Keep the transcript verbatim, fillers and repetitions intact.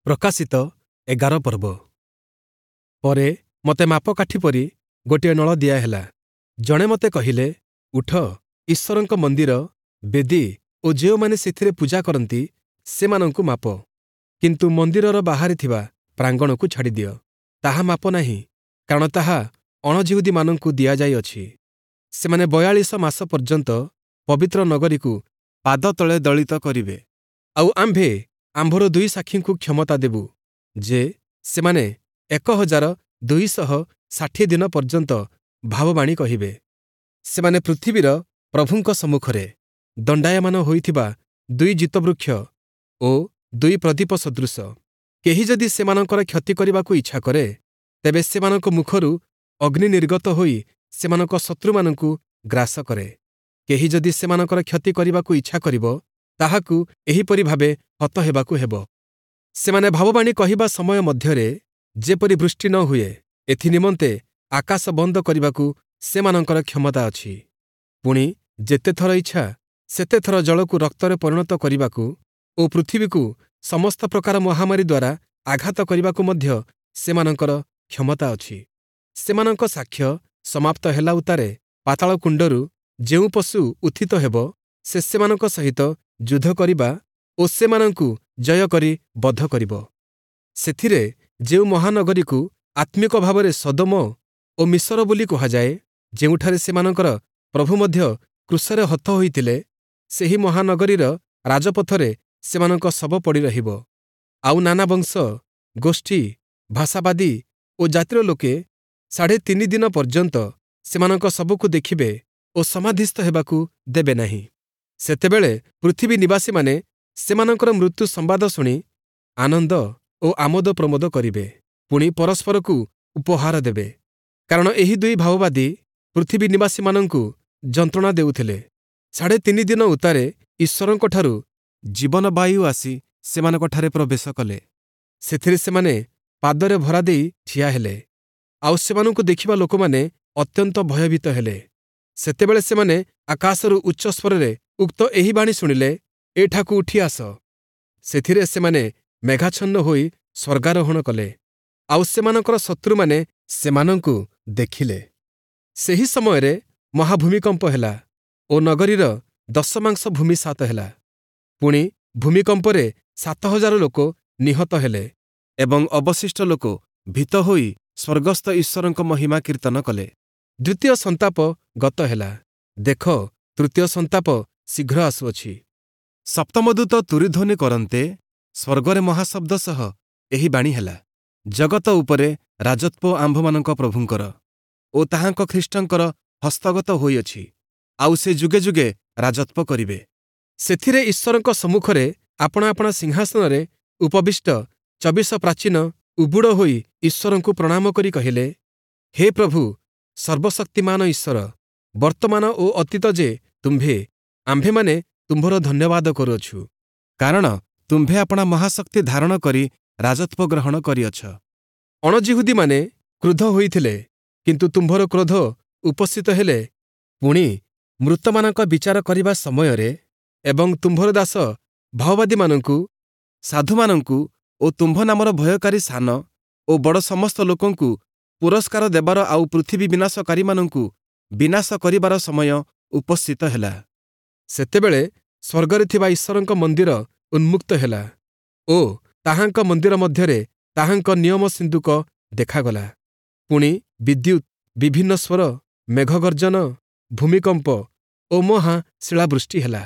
ପ୍ରକାଶିତ ଏଗାର ପର୍ବ। ପରେ ମୋତେ ମାପକାଠି ପରି ଗୋଟିଏ ନଳ ଦିଆହେଲା। ଜଣେ ମୋତେ କହିଲେ, ଉଠ, ଈଶ୍ୱରଙ୍କ ମନ୍ଦିର, ବେଦି ଓ ଯେଉଁମାନେ ସେଥିରେ ପୂଜା କରନ୍ତି, ସେମାନଙ୍କୁ ମାପ। କିନ୍ତୁ ମନ୍ଦିରର ବାହାରେ ଥିବା ପ୍ରାଙ୍ଗଣକୁ ଛାଡ଼ିଦିଅ। ତାହା ମାପ ନାହିଁ, କାରଣ ତାହା ଅଣଯିହୂଦୀମାନଙ୍କୁ ଦିଆଯାଇଅଛି। ସେମାନେ ବୟାଳିଶ ମାସ ପର୍ଯ୍ୟନ୍ତ ପବିତ୍ର ନଗରୀକୁ ପାଦତଳେ ଦଳିତ କରିବେ। ଆଉ ଆମ୍ଭେ ଆମ୍ଭର ଦୁଇ ସାକ୍ଷୀଙ୍କୁ କ୍ଷମତା ଦେବୁ ଯେ ସେମାନେ ଏକ ହଜାର ଦୁଇ ଶହ ଷାଠିଏ ଦିନ ପର୍ଯ୍ୟନ୍ତ ଭାବବାଣୀ କହିବେ। ସେମାନେ ପୃଥିବୀର ପ୍ରଭୁଙ୍କ ସମ୍ମୁଖରେ ଦଣ୍ଡାୟମାନ ହୋଇଥିବା ଦୁଇ ଜୀତବୃକ୍ଷ ଓ ଦୁଇ ପ୍ରଦୀପ ସଦୃଶ। କେହି ଯଦି ସେମାନଙ୍କର କ୍ଷତି କରିବାକୁ ଇଚ୍ଛା କରେ, ତେବେ ସେମାନଙ୍କ ମୁଖରୁ ଅଗ୍ନି ନିର୍ଗତ ହୋଇ ସେମାନଙ୍କ ଶତ୍ରୁମାନଙ୍କୁ ଗ୍ରାସ କରେ। କେହି ଯଦି ସେମାନଙ୍କର କ୍ଷତି କରିବାକୁ ଇଚ୍ଛା କରିବ, ତାହାକୁ ଏହିପରି ଭାବେ ହତ ହେବାକୁ ହେବ। ସେମାନେ ଭାବବାଣୀ କହିବା ସମୟ ମଧ୍ୟରେ ଯେପରି ବୃଷ୍ଟି ନ ହୁଏ, ଏଥି ନିମନ୍ତେ ଆକାଶ ବନ୍ଦ କରିବାକୁ ସେମାନଙ୍କର କ୍ଷମତା ଅଛି। ପୁଣି ଯେତେଥର ଇଚ୍ଛା, ସେତେଥର ଜଳକୁ ରକ୍ତରେ ପରିଣତ କରିବାକୁ ଓ ପୃଥିବୀକୁ ସମସ୍ତ ପ୍ରକାର ମହାମାରୀ ଦ୍ୱାରା ଆଘାତ କରିବାକୁ ମଧ୍ୟ ସେମାନଙ୍କର କ୍ଷମତା ଅଛି। ସେମାନଙ୍କ ସାକ୍ଷ୍ୟ ସମାପ୍ତ ହେଲା ଉତ୍ତାରେ ପାତାଳ କୁଣ୍ଡରୁ ଯେଉଁ ପଶୁ ଉତ୍ଥିତ ହେବ, ସେ ସେମାନଙ୍କ ସହିତ ଯୁଦ୍ଧ କରିବା ଓ ସେମାନଙ୍କୁ ଜୟ କରି ବଧ କରିବ। ସେଥିରେ ଯେଉଁ ମହାନଗରୀକୁ ଆତ୍ମିକ ଭାବରେ ସଦୋମ ଓ ମିଶର ବୋଲି କୁହାଯାଏ, ଯେଉଁଠାରେ ସେମାନଙ୍କର ପ୍ରଭୁ ମଧ୍ୟ କ୍ରୁଶରେ ହତ ହୋଇଥିଲେ, ସେହି ମହାନଗରୀର ରାଜପଥରେ ସେମାନଙ୍କ ଶବ ପଡ଼ି ରହିବ। ଆଉ ନାନା ବଂଶ, ଗୋଷ୍ଠୀ, ଭାଷାବାଦୀ ଓ ଜାତିର ଲୋକେ ସାଢ଼େ ତିନି ଦିନ ପର୍ଯ୍ୟନ୍ତ ସେମାନଙ୍କ ଶବକୁ ଦେଖିବେ ଓ ସମାଧିସ୍ଥ ହେବାକୁ ଦେବେ ନାହିଁ। ସେତେବେଳେ ପୃଥିବୀ ନିବାସୀମାନେ ସେମାନଙ୍କର ମୃତ୍ୟୁ ସମ୍ବାଦ ଶୁଣି ଆନନ୍ଦ ଓ ଆମୋଦ ପ୍ରମୋଦ କରିବେ, ପୁଣି ପରସ୍ପରକୁ ଉପହାର ଦେବେ। କାରଣ ଏହି ଦୁଇ ଭାବବାଦୀ ପୃଥିବୀ ନିବାସୀମାନଙ୍କୁ ଯନ୍ତ୍ରଣା ଦେଉଥିଲେ। ସାଢ଼େ ତିନି ଦିନ ଉତ୍ତାରେ ଈଶ୍ୱରଙ୍କଠାରୁ ଜୀବନବାୟୁ ଆସି ସେମାନଙ୍କଠାରେ ପ୍ରବେଶ କଲେ। ସେଥିରେ ସେମାନେ ପାଦରେ ଭରା ଦେଇ ଠିଆ ହେଲେ। ଆଉ ସେମାନଙ୍କୁ ଦେଖିବା ଲୋକମାନେ ଅତ୍ୟନ୍ତ ଭୟଭୀତ ହେଲେ। ସେତେବେଳେ ସେମାନେ ଆକାଶରୁ ଉଚ୍ଚ ସ୍ୱରରେ ଉକ୍ତ ଏହି ବାଣୀ ଶୁଣିଲେ, ଏଠାକୁ ଉଠି ଆସ। ସେଥିରେ ସେମାନେ ମେଘାଚ୍ଛନ୍ନ ହୋଇ ସ୍ୱର୍ଗାରୋହଣ କଲେ। ଆଉ ସେମାନଙ୍କର ଶତ୍ରୁମାନେ ସେମାନଙ୍କୁ ଦେଖିଲେ। ସେହି ସମୟରେ ମହାଭୂମିକମ୍ପ ହେଲା ଓ ନଗରୀର ଦଶମାଂଶ ଭୂମିସାତ ହେଲା। ପୁଣି ଭୂମିକମ୍ପରେ ସାତ ହଜାର ଲୋକ ନିହତ ହେଲେ ଏବଂ ଅବଶିଷ୍ଟ ଲୋକ ଭୀତ ହୋଇ ସ୍ୱର୍ଗସ୍ଥ ଈଶ୍ୱରଙ୍କ ମହିମା କୀର୍ତ୍ତନ କଲେ। ଦ୍ୱିତୀୟ ସନ୍ତାପ ଗତ ହେଲା। ଦେଖ, ତୃତୀୟ ସନ୍ତାପ ଶୀଘ୍ର ଆସୁଅଛି। ସପ୍ତମ ଦୂତ ତୂରୀଧ୍ୱନି କରନ୍ତେ ସ୍ୱର୍ଗରେ ମହାଶବ୍ଦ ସହ ଏହି ବାଣୀ ହେଲା, ଜଗତ ଉପରେ ରାଜତ୍ୱ ଆମ୍ଭମାନଙ୍କ ପ୍ରଭୁଙ୍କର ଓ ତାହାଙ୍କ ଖ୍ରୀଷ୍ଟଙ୍କର ହସ୍ତଗତ ହୋଇଅଛି, ଆଉ ସେ ଯୁଗେ ଯୁଗେ ରାଜତ୍ୱ କରିବେ। ସେଥିରେ ଈଶ୍ୱରଙ୍କ ସମ୍ମୁଖରେ ଆପଣା ଆପଣା ସିଂହାସନରେ ଉପବିଷ୍ଟ ଚବିଶ ପ୍ରାଚୀନ ଉବୁଡ଼ ହୋଇ ଈଶ୍ୱରଙ୍କୁ ପ୍ରଣାମ କରି କହିଲେ, ହେ ପ୍ରଭୁ, ସର୍ବଶକ୍ତିମାନ ଈଶ୍ୱର, ବର୍ତ୍ତମାନ ଓ ଅତୀତ ଯେ ତୁମ୍ଭେ, ଆମ୍ଭେମାନେ ତୁମ୍ଭର ଧନ୍ୟବାଦ କରୁଅଛୁ, କାରଣ ତୁମ୍ଭେ ଆପଣା ମହାଶକ୍ତି ଧାରଣ କରି ରାଜତ୍ୱ ଗ୍ରହଣ କରିଅଛ। ଅଣଯିହୂଦୀମାନେ କ୍ରୁଦ୍ଧ ହୋଇଥିଲେ, କିନ୍ତୁ ତୁମ୍ଭର କ୍ରୋଧ ଉପସ୍ଥିତ ହେଲେ ପୁଣି ମୃତମାନଙ୍କ ବିଚାର କରିବା ସମୟରେ ଏବଂ ତୁମ୍ଭର ଦାସ ଭାବବାଦୀମାନଙ୍କୁ, ସାଧୁମାନଙ୍କୁ ଓ ତୁମ୍ଭ ନାମର ଭୟକାରୀ ସାନ ଓ ବଡ଼ ସମସ୍ତ ଲୋକଙ୍କୁ ପୁରସ୍କାର ଦେବାର ଆଉ ପୃଥିବୀ ବିନାଶକାରୀମାନଙ୍କୁ ବିନାଶ କରିବାର ସମୟ ଉପସ୍ଥିତ ହେଲା। ସେତେବେଳେ ସ୍ୱର୍ଗରେ ଥିବା ଈଶ୍ୱରଙ୍କ ମନ୍ଦିର ଉନ୍ମୁକ୍ତ ହେଲା ଓ ତାହାଙ୍କ ମନ୍ଦିର ମଧ୍ୟରେ ତାହାଙ୍କ ନିୟମ ସିନ୍ଦୁକ ଦେଖାଗଲା। ପୁଣି ବିଦ୍ୟୁତ୍, ବିଭିନ୍ନ ସ୍ୱର, ମେଘଗର୍ଜନ, ଭୂମିକମ୍ପ ଓ ମହା ଶିଳାବୃଷ୍ଟି ହେଲା।